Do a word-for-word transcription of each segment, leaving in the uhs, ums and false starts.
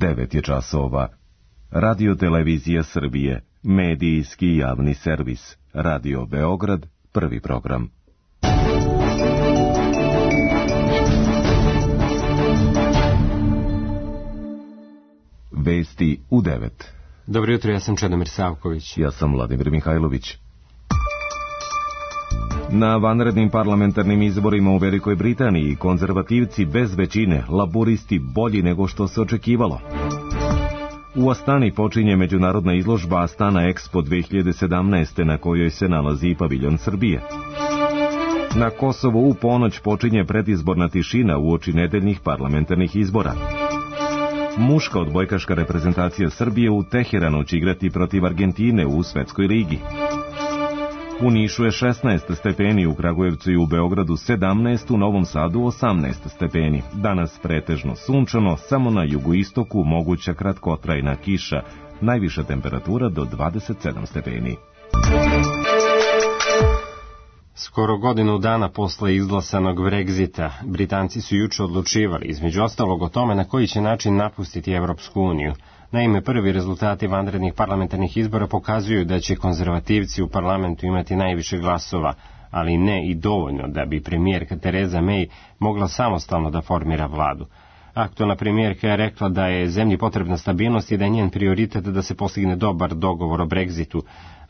devet je časova. Radio Televizija Srbije, medijski javni servis. Radio Beograd, prvi program. Vesti u devet. Dobro jutro, ja sam Čedomir Savković. Ja sam Vladimir Mihajlović. Na vanrednim parlamentarnim izborima u Velikoj Britaniji konzervativci bez većine, laburisti bolji nego što se očekivalo. U Astani počinje međunarodna izložba Astana Expo dve hiljade sedamnaeste na kojoj se nalazi i paviljon Srbije. Na Kosovu u ponoć počinje predizborna tišina uoči nedeljnih parlamentarnih izbora. Muška odbojkaška reprezentacija Srbije u Teheranu će igrati protiv Argentine u Svetskoj ligi. U Nišu je šesnaest stepeni, u Kragujevcu i u Beogradu sedamnaest, u Novom Sadu osamnaest stepeni. Danas pretežno sunčano, samo na jugoistoku moguća kratkotrajna kiša, najviša temperatura do dvadeset sedam stepeni. Skoro godinu dana posle izglasanog Brexita, Britanci su juče odlučivali, između ostalog, o tome na koji će način napustiti Evropsku uniju. Naime, prvi rezultati vanrednih parlamentarnih izbora pokazuju da će konzervativci u parlamentu imati najviše glasova, ali ne i dovoljno da bi premijerka Tereza May mogla samostalno da formira vladu. Aktualna premijerka je rekla da je zemlji potrebna stabilnost i da je njen prioritet da se postigne dobar dogovor o Brexitu.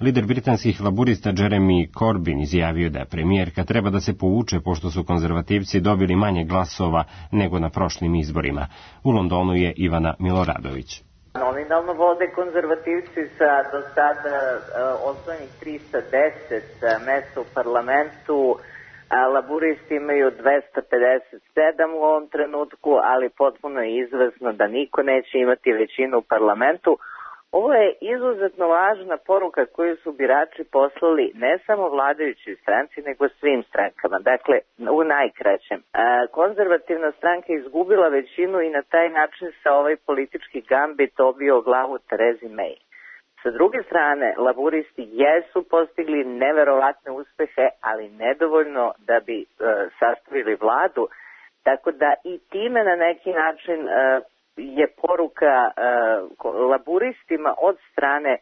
Lider britanskih laburista Jeremy Corbyn izjavio da premijerka treba da se povuče pošto su konzervativci dobili manje glasova nego na prošlim izborima. U Londonu je Ivana Miloradović. Nominalno vode konzervativci sa do sada uh, osvojenih trista deset uh, mesta u parlamentu, a laburisti imaju dvesta pedeset sedam u ovom trenutku, ali potpuno je izvesno da niko neće imati većinu u parlamentu. Ovo je izuzetno važna poruka koju su birači poslali ne samo vladajućoj stranci, nego svim strankama. Dakle, u najkraćem. Konzervativna stranka izgubila većinu i na taj način se ovaj politički gambit obio glavu Terezi May. Sa druge strane, laburisti jesu postigli neverovatne uspehe, ali nedovoljno da bi e, sastavili vladu, tako da i time na neki način e, je poruka e, laburistima od strane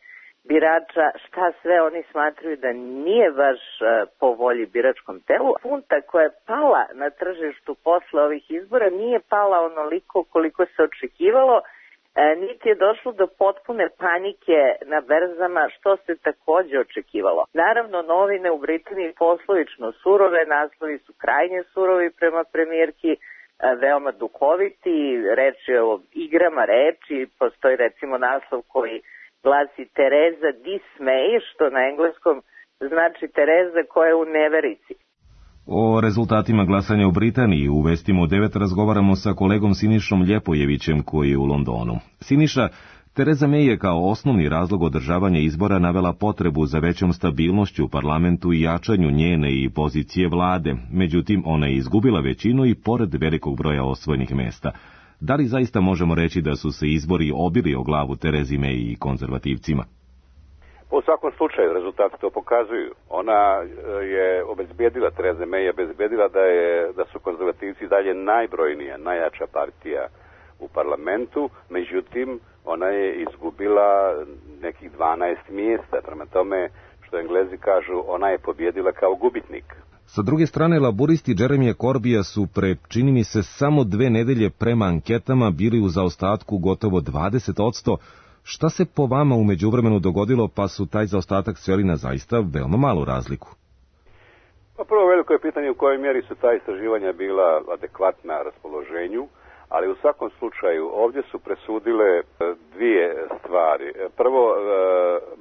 birača šta sve oni smatraju da nije baš e, po volji biračkom telu. Funta koja je pala na tržištu posle ovih izbora nije pala onoliko koliko se očekivalo, e, niti je došlo do potpune panike na berzama, što se takođe očekivalo. Naravno, novine u Britaniji poslovično surove, naslovi su krajnje surovi prema premijerki, veoma duhoviti, reč je o igrama reči, postoji recimo naslov koji glasi Tereza Dismay, što na engleskom znači Tereza koja je u neverici. O rezultatima glasanja u Britaniji u Vestima u devet razgovaramo sa kolegom Sinišom Ljepojevićem koji je u Londonu. Siniša, Tereza May je kao osnovni razlog održavanja izbora navela potrebu za većom stabilnošću u parlamentu i jačanju njene i pozicije vlade. Međutim, ona je izgubila većinu i pored velikog broja osvojenih mesta. Da li zaista možemo reći da su se izbori obili o glavu Terezi May i konzervativcima? U svakom slučaju rezultati to pokazuju. Ona je obezbedila, Tereza May je obezbedila da, je, da su konzervativci dalje najbrojnija, najjača partija u parlamentu, međutim, ona je izgubila nekih dvanaest mjesta, prema tome, što Englezi kažu, ona je pobjedila kao gubitnik. Sa druge strane, laburisti Jeremija Corbija su pre, čini mi se, samo dve nedelje prema anketama bili u zaostatku gotovo dvadeset posto. Šta se po vama u međuvremenu dogodilo, pa su taj zaostatak sveli na zaista veoma malu razliku? Pa prvo veliko je pitanje u kojoj mjeri su ta istraživanja bila adekvatna raspoloženju, ali u svakom slučaju ovdje su presudile dvije stvari. Prvo,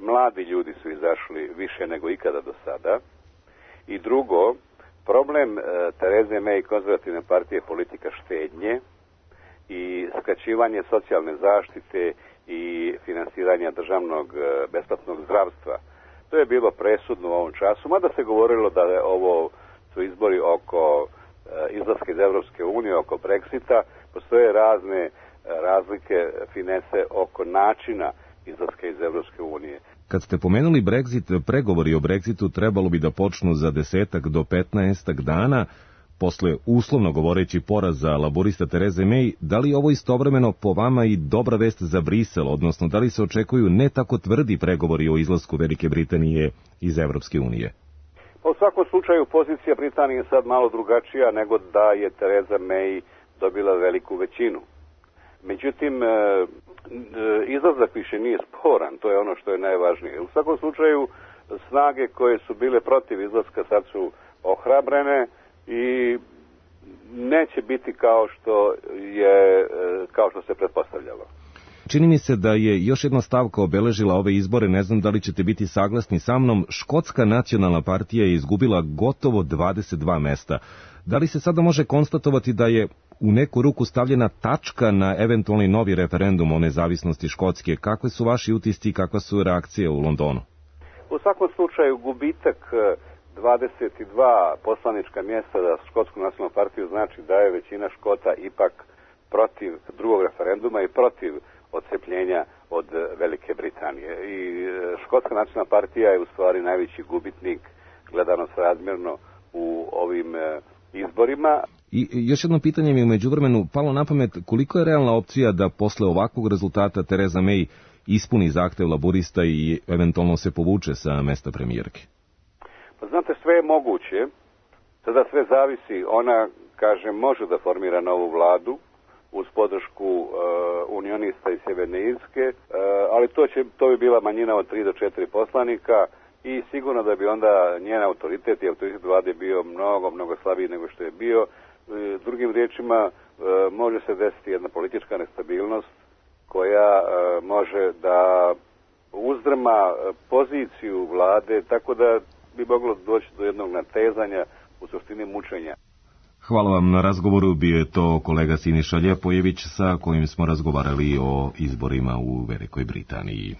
mladi ljudi su izašli više nego ikada do sada. I drugo, problem Tereze May i konzervativne partije je politika štednje i skraćivanje socijalne zaštite i finansiranja državnog besplatnog zdravstva. To je bilo presudno u ovom času, mada se govorilo da je ovo su izbori oko izlaska iz Evropske unije, oko Brexita. Postoje razne razlike, finese oko načina izlaska iz Evropske unije. Kad ste pomenuli Brexit, pregovori o Brexitu trebalo bi da počnu za desetak do petnaestak dana. Posle uslovno govoreći poraza laborista Tereze May, da li je ovo istovremeno po vama i dobra vest za Brisel, odnosno da li se očekuju ne tako tvrdi pregovori o izlasku Velike Britanije iz Evropske unije? U svakom slučaju pozicija Britanije je sad malo drugačija nego da je Tereza May dobila veliku većinu. Međutim, izlazak više nije sporan, to je ono što je najvažnije. U svakom slučaju, snage koje su bile protiv izlaska sad su ohrabrene i neće biti kao što je, kao što se pretpostavljalo. Čini mi se da je još jedna stavka obeležila ove izbore, ne znam da li ćete biti saglasni sa mnom, Škotska nacionalna partija je izgubila gotovo dvadeset dva mesta. Da li se sada može konstatovati da je u neku ruku stavljena tačka na eventualni novi referendum o nezavisnosti Škotske? Kakve su vaši utisci i kakva su reakcije u Londonu? U svakom slučaju gubitak dvadeset dva poslanička mjesta za Škotsku nacionalnu partiju znači da je većina Škota ipak protiv drugog referenduma i protiv odcepljenja od Velike Britanije. I Škotska nacionalna partija je u stvari najveći gubitnik gledano srazmjerno u ovim izborima. I još jedno pitanje mi je u međuvremenu palo na pamet, koliko je realna opcija da posle ovakvog rezultata Tereza May ispuni zahtev laburista i eventualno se povuče sa mesta premijerke? Pa znate, sve je moguće. Sada sve zavisi. Ona, kaže, može da formira novu vladu uz podršku uh, unionista iz Sjeverne Irske, uh, ali to, će, to bi bila manjina od tri do četiri poslanika i sigurno da bi onda njen autoritet i autoritet vlade bio mnogo, mnogo slabiji nego što je bio. Uh, drugim riječima, uh, može se desiti jedna politička nestabilnost koja uh, može da uzdrma poziciju vlade, tako da bi moglo doći do jednog natezanja, u suštini mučenja. Hvala vam na razgovoru, bio je to kolega Siniša Ljepojević sa kojim smo razgovarali o izborima u Velikoj Britaniji.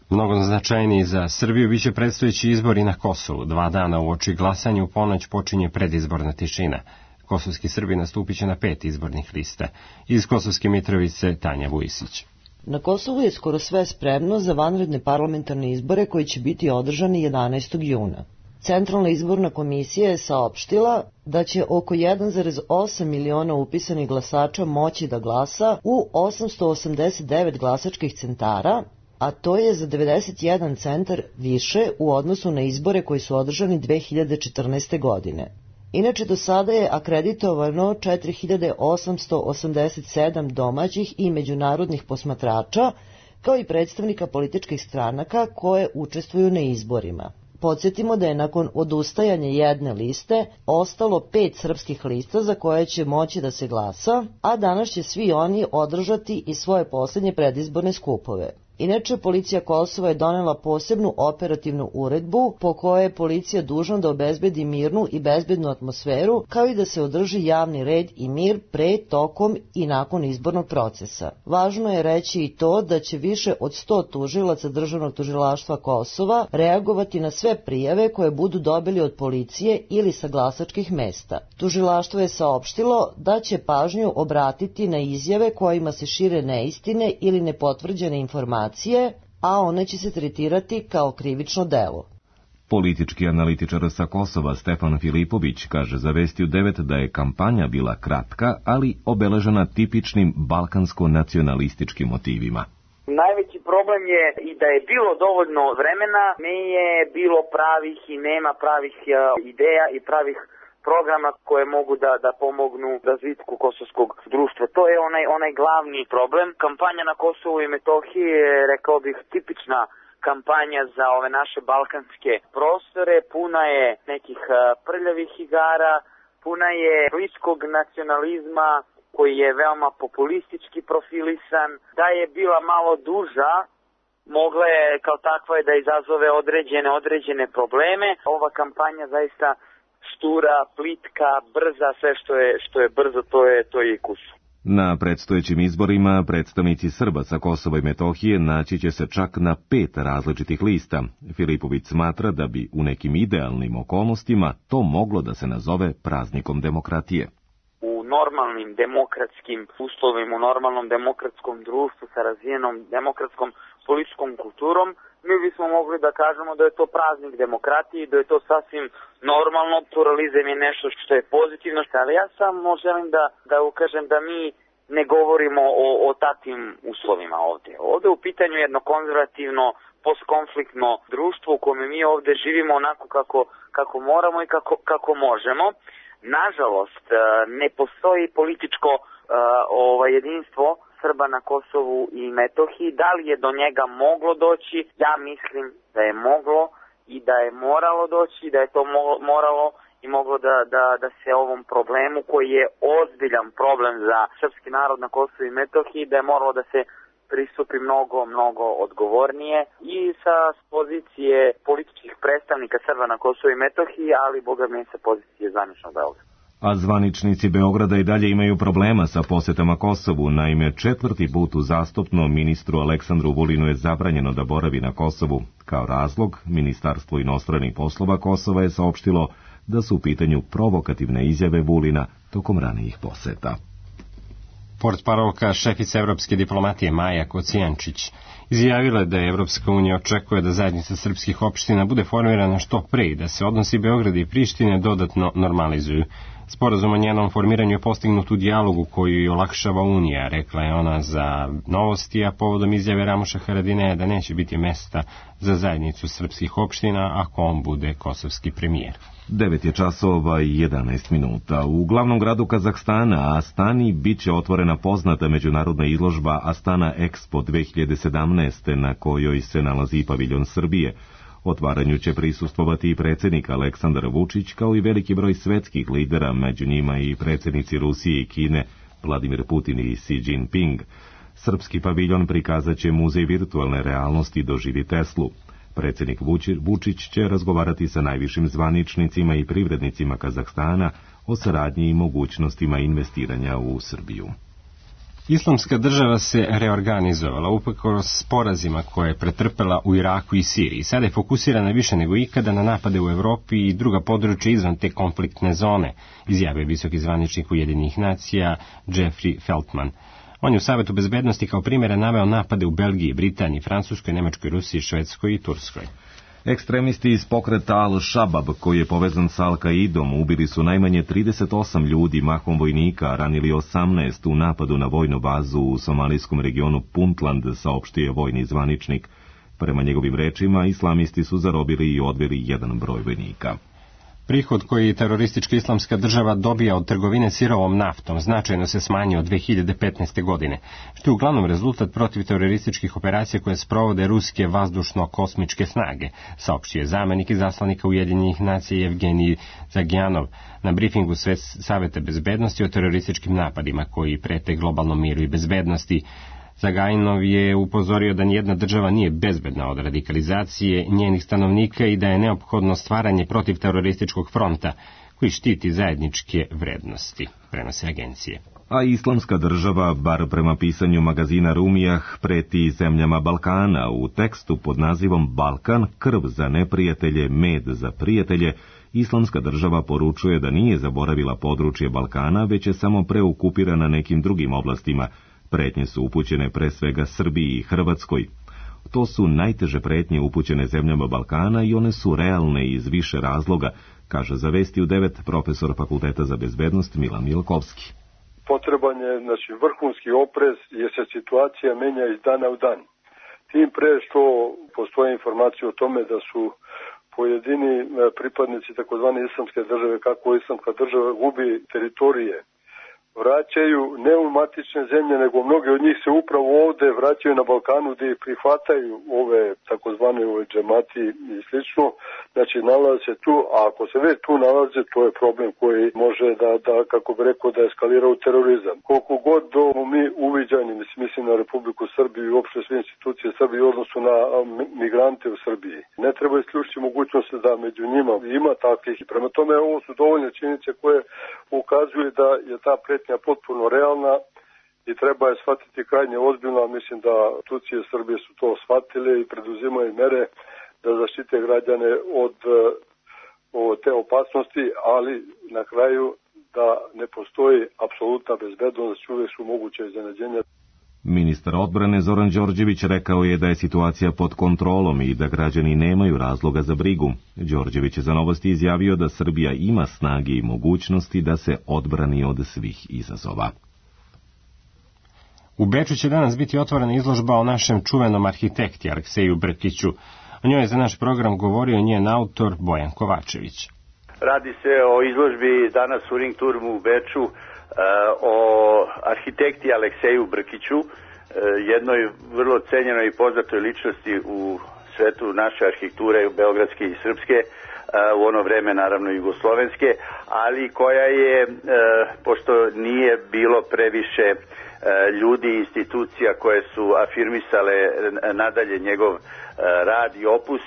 Mnogo značajniji za Srbiju biće predstojeći izbori na Kosovu. Dva dana uoči glasanja u ponoć počinje predizborna tišina. Kosovski Srbi nastupit će na pet izbornih lista. Iz Kosovske Mitrovice Tanja Vujisić. Na Kosovu je skoro sve spremno za vanredne parlamentarne izbore koji će biti održani jedanaestog juna. Centralna izborna komisija je saopštila da će oko jedan zarez osam miliona upisanih glasača moći da glasa u osamsto osamdeset devet glasačkih centara, a to je za devedeset jedan centar više u odnosu na izbore koji su održani dve hiljade četrnaeste. godine. Inače, do sada je akreditovano četiri hiljade osamsto osamdeset sedam domaćih i međunarodnih posmatrača, kao i predstavnika političkih stranaka koje učestvuju na izborima. Podsjetimo da je nakon odustajanja jedne liste ostalo pet srpskih lista za koje će moći da se glasa, a danas će svi oni održati i svoje posljednje predizborne skupove. Inače, policija Kosova je donela posebnu operativnu uredbu po kojoj je policija dužna da obezbedi mirnu i bezbednu atmosferu, kao i da se održi javni red i mir pre, tokom i nakon izbornog procesa. Važno je reći i to da će više od sto tužilaca Državnog tužilaštva Kosova reagovati na sve prijave koje budu dobili od policije ili sa glasačkih mesta. Tužilaštvo je saopštilo da će pažnju obratiti na izjave kojima se šire neistine ili nepotvrđene informacije, a one će se tretirati kao krivično delo. Politički analitičar sa Kosova Stefan Filipović kaže za Vesti u devet da je kampanja bila kratka, ali obeležena tipičnim balkansko-nacionalističkim motivima. Najveći problem je i da je bilo dovoljno vremena, nije bilo pravih i nema pravih ideja i pravih programa koje mogu da, da pomognu razvitku kosovskog društva. To je onaj, onaj glavni problem. Kampanja na Kosovu i Metohiji je, rekao bih, tipična kampanja za ove naše balkanske prostore. Puna je nekih prljavih igara, puna je bliskog nacionalizma koji je veoma populistički profilisan. Da je bila malo duža, mogla je kao takva je da izazove određene, određene probleme. Ova kampanja zaista štura, plitka, brza, sve što je, što je brzo, to je, to je i kus. Na predstojećim izborima predstavnici Srba sa Kosova i Metohije naći će se čak na pet različitih lista. Filipović smatra da bi u nekim idealnim okolnostima to moglo da se nazove praznikom demokratije. U normalnim demokratskim uslovima, u normalnom demokratskom društvu sa razvijenom demokratskom političkom kulturom, mi bismo mogli da kažemo da je to praznik demokratije, da je to sasvim normalno, pluralizam je nešto što je pozitivno, ali ja samo želim da, da ukažem da mi ne govorimo o, o takvim uslovima ovde. Ovde u pitanju jedno konzervativno, postkonfliktno društvo u kome mi ovde živimo onako kako, kako moramo i kako, kako možemo. Nažalost, ne postoji političko uh, ovaj, jedinstvo Srba na Kosovu i Metohiji. Da li je do njega moglo doći? Ja mislim da je moglo i da je moralo doći, da je to moralo i moglo da, da, da se ovom problemu, koji je ozbiljan problem za srpski narod na Kosovu i Metohiji, da je moralo da se pristupi mnogo, mnogo odgovornije i sa pozicije političkih predstavnika Srba na Kosovu i Metohiji, ali boga mi sa pozicije zvaničnog Beograda. A zvaničnici Beograda i dalje imaju problema sa posetama Kosovu. Naime, četvrti put uzastopno ministru Aleksandru Vulinu je zabranjeno da boravi na Kosovu. Kao razlog, Ministarstvo inostranih poslova Kosova je saopštilo da su u pitanju provokativne izjave Vulina tokom ranijih poseta. Portparolka šefica evropske diplomatije Maja Kocijančić izjavila je da je Evropska unija očekuje da zajednica srpskih opština bude formirana što pre i da se odnosi Beograda i Prištine dodatno normalizuju. Sporazum o njenom formiranju je postignut u dijalogu koji olakšava Unija, rekla je ona za Novosti, a povodom izjave Ramuša Haradinaja da neće biti mesta za zajednicu srpskih opština ako on bude kosovski premijer. devet je časova i jedanaest minuta. U glavnom gradu Kazahstana, Astani, bit će otvorena poznata međunarodna izložba Astana Expo dve hiljade sedamnaeste, na kojoj se nalazi i paviljon Srbije. Otvaranju će prisustvovati i predsjednik Aleksandar Vučić, kao i veliki broj svetskih lidera, među njima i predsjednici Rusije i Kine, Vladimir Putin i Xi Jinping. Srpski paviljon prikazat će muzej virtualne realnosti Doživi Teslu. Predsjednik Vučić će razgovarati sa najvišim zvaničnicima i privrednicima Kazahstana o saradnji i mogućnostima investiranja u Srbiju. Islamska država se reorganizovala uprkos porazima koje je pretrpela u Iraku i Siriji. Sada je fokusirana više nego ikada na napade u Evropi i druga područja izvan te konfliktne zone, izjavio visoki zvaničnik Ujedinjenih nacija Jeffrey Feltman. On je u Savetu bezbednosti kao primjera naveo napade u Belgiji, Britaniji, Francuskoj, Nemačkoj, Rusiji, Švedskoj i Turskoj. Ekstremisti iz pokreta Al-Shabab, koji je povezan sa Al-Kaidom, ubili su najmanje trideset osam ljudi, mahom vojnika, a ranili osamnaest u napadu na vojnu bazu u somalijskom regionu Puntland, saopštio vojni zvaničnik. Prema njegovim rečima, islamisti su zarobili i odveli jedan broj vojnika. Prihod koji teroristička islamska država dobija od trgovine sirovom naftom značajno se smanjio od dve hiljade petnaeste. godine, što je uglavnom rezultat protiv terorističkih operacija koje sprovode ruske vazdušno-kosmičke snage, saopštio je zamenik izaslanika Ujedinjenih nacija Evgenij Zagjanov na brifingu Saveta bezbednosti o terorističkim napadima koji prete globalnom miru i bezbednosti. Zagajnov je upozorio da nijedna država nije bezbedna od radikalizacije njenih stanovnika i da je neophodno stvaranje protivterorističkog fronta koji štiti zajedničke vrednosti, prenose agencije. A islamska država, bar prema pisanju magazina Rumijah, preti zemljama Balkana. U tekstu pod nazivom Balkan, krv za neprijatelje, med za prijatelje, islamska država poručuje da nije zaboravila područje Balkana, već je samo preokupirana nekim drugim oblastima. Pretnje su upućene pre svega Srbiji i Hrvatskoj. To su najteže pretnje upućene zemljama Balkana i one su realne iz više razloga, kaže za Vesti u devet profesor Fakulteta za bezbednost Milan Milkovski. Potreban je znači, vrhunski oprez jer se situacija menja iz dana u dan. Tim pre što postoje informacije o tome da su pojedini pripadnici takozvane islamske države, kako islamska država gubi teritorije, vraćaju ne u matične zemlje, nego mnogi od njih se upravo ovde vraćaju na Balkanu gdje prihvataju ove takozvane ove džemati i slično. Znači nalaze se tu, a ako se već tu nalaze, to je problem koji može da, da kako bi rekao, da eskalira u terorizam. Koliko god do mi uviđani, mislim na Republiku Srbiju i uopšte sve institucije Srbije u odnosu na migrante u Srbiji. Ne treba isključiti mogućnost da među njima ima takvih. Prema tome ovo su dovoljne činjenice koje ukazuju da je ta pretnja potpuno realna i treba je shvatiti krajnje ozbiljno, a mislim da institucije Srbije su to shvatile i preduzimaju mere da zaštite građane od, od te opasnosti, ali na kraju da ne postoji apsolutna bezbednost, uvijek su moguće iznenađenja. Ministar odbrane Zoran Đorđević rekao je da je situacija pod kontrolom i da građani nemaju razloga za brigu. Đorđević je za Novosti izjavio da Srbija ima snage i mogućnosti da se odbrani od svih izazova. U Beču će danas biti otvorena izložba o našem čuvenom arhitekti Alekseju Brkiću. O njoj je za naš program govorio njen autor Bojan Kovačević. Radi se o izložbi danas u Ringturmu u Beču o arhitekti Alekseju Brkiću, jednoj vrlo cenjenoj i poznatoj ličnosti u svetu naše arhitekture, beogradske i srpske, u ono vreme naravno jugoslovenske, ali koja je, pošto nije bilo previše ljudi i institucija koje su afirmisale nadalje njegov rad i opus,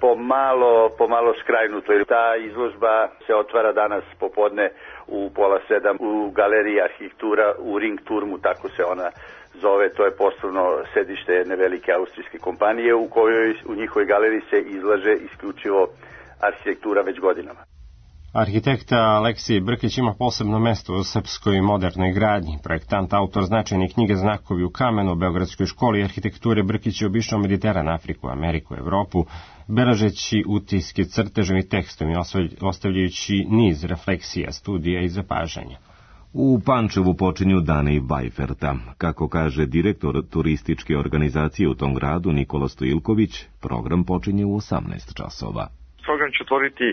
pomalo, pomalo skrajnuto. Ta izložba se otvara danas popodne u pola sedam u galeriji arhitektura u Ringturmu, tako se ona zove. To je poslovno sedište jedne velike austrijske kompanije u kojoj u njihovoj galeriji se izlaže isključivo arhitektura već godinama. Arhitekta Aleksej Brkić ima posebno mesto u srpskoj modernoj gradnji. Projektant, autor značajne knjige Znakovi u kamenu, Beogradskoj školi arhitekture, Brkić je obišao Mediteran, Afriku, Ameriku, Evropu, beležeći utiske crtežom i tekstom i ostavljajući niz refleksija, studija i zapažanja. U Pančevu počinju dani Vajferta. Kako kaže direktor turističke organizacije u tom gradu Nikola Stojilković, program počinje u osamnaest časova. Program će otvoriti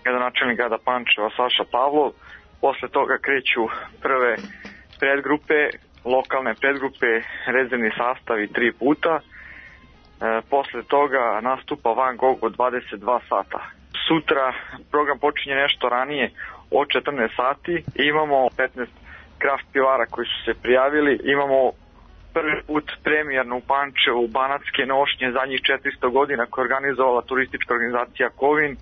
gradonačelnik grada Pančeva Saša Pavlov. Posle toga kreću prve predgrupe, lokalne predgrupe, rezervni sastavi tri puta. E, posle toga nastupa Van Gogh od dvadeset dva sata. Sutra program počinje nešto ranije od četrnaest sati. Imamo petnaest kraft pivara koji su se prijavili. Imamo prvi put premijerno u Pančevu Banatske nošnje zadnjih četiristo godina koje je organizovala turistička organizacija Kovin.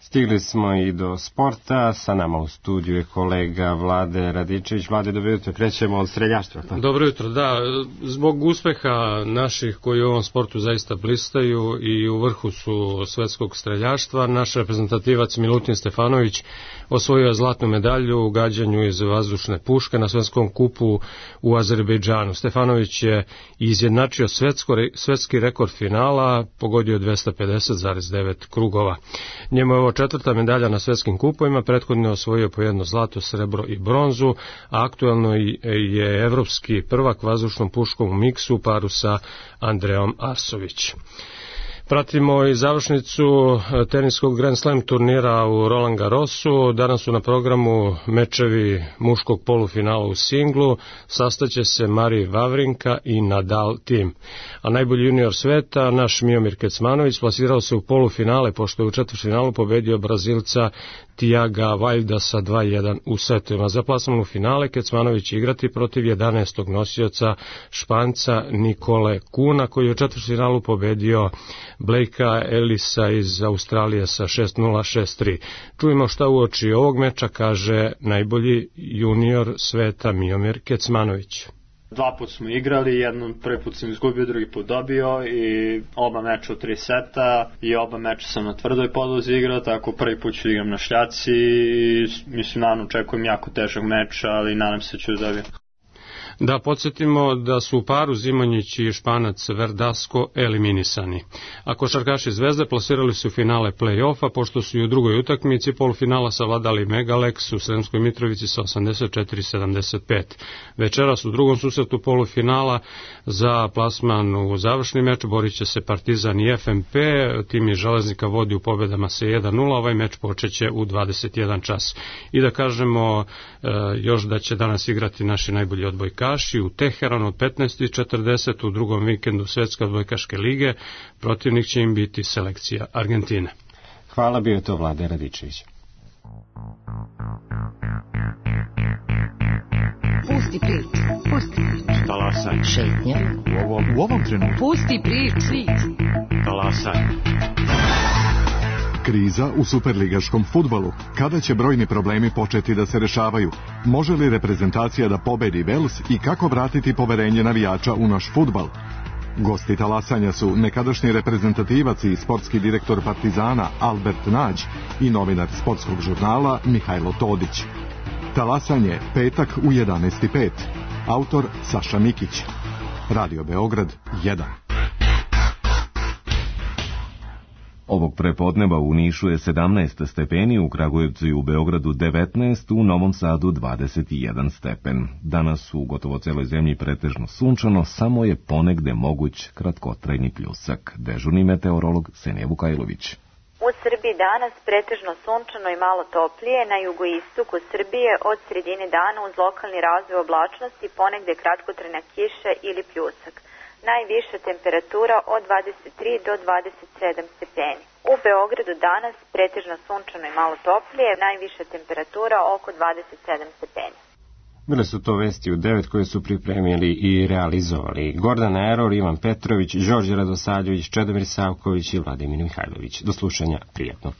Stigli smo i do sporta, sa nama u studiju je kolega Vlade Radičević. Vlade, dobro jutro, krećemo od streljaštva. Pa? Dobro jutro, da, zbog uspeha naših koji u ovom sportu zaista blistaju i u vrhu su svetskog streljaštva, naš reprezentativac Milutin Stefanović osvojio je zlatnu medalju u gađanju iz vazdušne puške na svetskom kupu u Azerbejdžanu. Stefanović je izjednačio svetsko, svetski rekord finala, pogodio dvesta pedeset zarez devet krugova. Njemu je ovo četvrta medalja na svetskim kupovima, prethodno je osvojio po jedno zlato, srebro i bronzu, a aktuelno je evropski prvak vazdušnom puškom u miksu u paru sa Andreom Arsović. Pratimo i završnicu teniskog Grand Slam turnira u Roland Garrosu. Danas su na programu mečevi muškog polufinala u singlu. Sastaće se Mari Vavrinka i Nadal tim. A najbolji junior sveta, naš Miomir Kecmanović, plasirao se u polufinale, pošto je u četvrtfinalu pobedio Brazilca Tiaga Valjda sa dva jedan u setovima. Za plasman u finale Kecmanović će igrati protiv jedanaestog nosioca Španca Nikole Kuna, koji je u četvrtfinalu pobedio Blakea Ellisa iz Australije sa šest nula šest tri. Čujemo šta uoči ovog meča kaže najbolji junior sveta Miomir Kecmanović. Dva put smo igrali, jednom prvi put sam izgubio, drugi put dobio i oba meča u tri seta i oba meča sam na tvrdoj podlozi igrao, tako prvi put ću igram na šljaci i mislim, naravno očekujem jako težak meč, ali nadam se ću da dobijem. Da podsjetimo da su u paru Zimonjić i Španac Verdasco eliminisani. A košarkaši Zvezde plasirali su finale play-offa, pošto su i u drugoj utakmici polufinala savladali Megalex u Sremskoj Mitrovici sa osamdeset četiri sedamdeset pet. Večeras u drugom susretu polufinala za plasman u završni meč borit će se Partizan i F M P. Tim iz Železnika vodi u pobedama sa jedan nula. Ovaj meč počeće u dvadeset jedan čas. I da kažemo e, još da će danas igrati naši najbolji odbojkaši u Teheranu od petnaest četrdeset u drugom vikendu Svetske odbojkaške lige. Protivnik će im biti selekcija Argentine. Hvala, bio je to Vlade Radičević. Pusti priču, pusti priču. Talasaj. Šetnja. U ovom, u ovom trenutku. Pusti priču. Talasaj. Kriza u superligaškom fudbalu. Kada će brojni problemi početi da se rešavaju? Može li reprezentacija da pobedi Vels i kako vratiti poverenje navijača u naš fudbal? Gosti talasanja su nekadašnji reprezentativac i sportski direktor Partizana Albert Nađ i novinar sportskog žurnala Mihajlo Todić. Talasanje, petak u jedanaest i pet. Autor Saša Mikić. Radio Beograd jedan. Ovog prepodneva u Nišu je sedamnaest stepeni, u Kragujevcu i u Beogradu devetnaest, u Novom Sadu dvadeset jedan stepen. Danas u gotovo celoj zemlji pretežno sunčano, samo je ponegde moguć kratkotrajni pljusak. Dežurni meteorolog Senija Vukajlović. U Srbiji danas pretežno sunčano i malo toplije, na jugoistoku Srbije od sredine dana uz lokalni razvoj oblačnosti ponegde kratkotrajna kiša ili pljusak. Najviša temperatura od dvadeset tri do dvadeset sedam stepeni. U Beogradu danas pretežno sunčano i malo toplije, najviša temperatura oko dvadeset sedam stepeni. Bile su to vesti u devet koje su pripremili i realizovali Gordana Eror, Ivan Petrović, Đorđe Radosavljević, Čedomir Savković i Vladimir Mihajlović. Do slušanja, prijatno.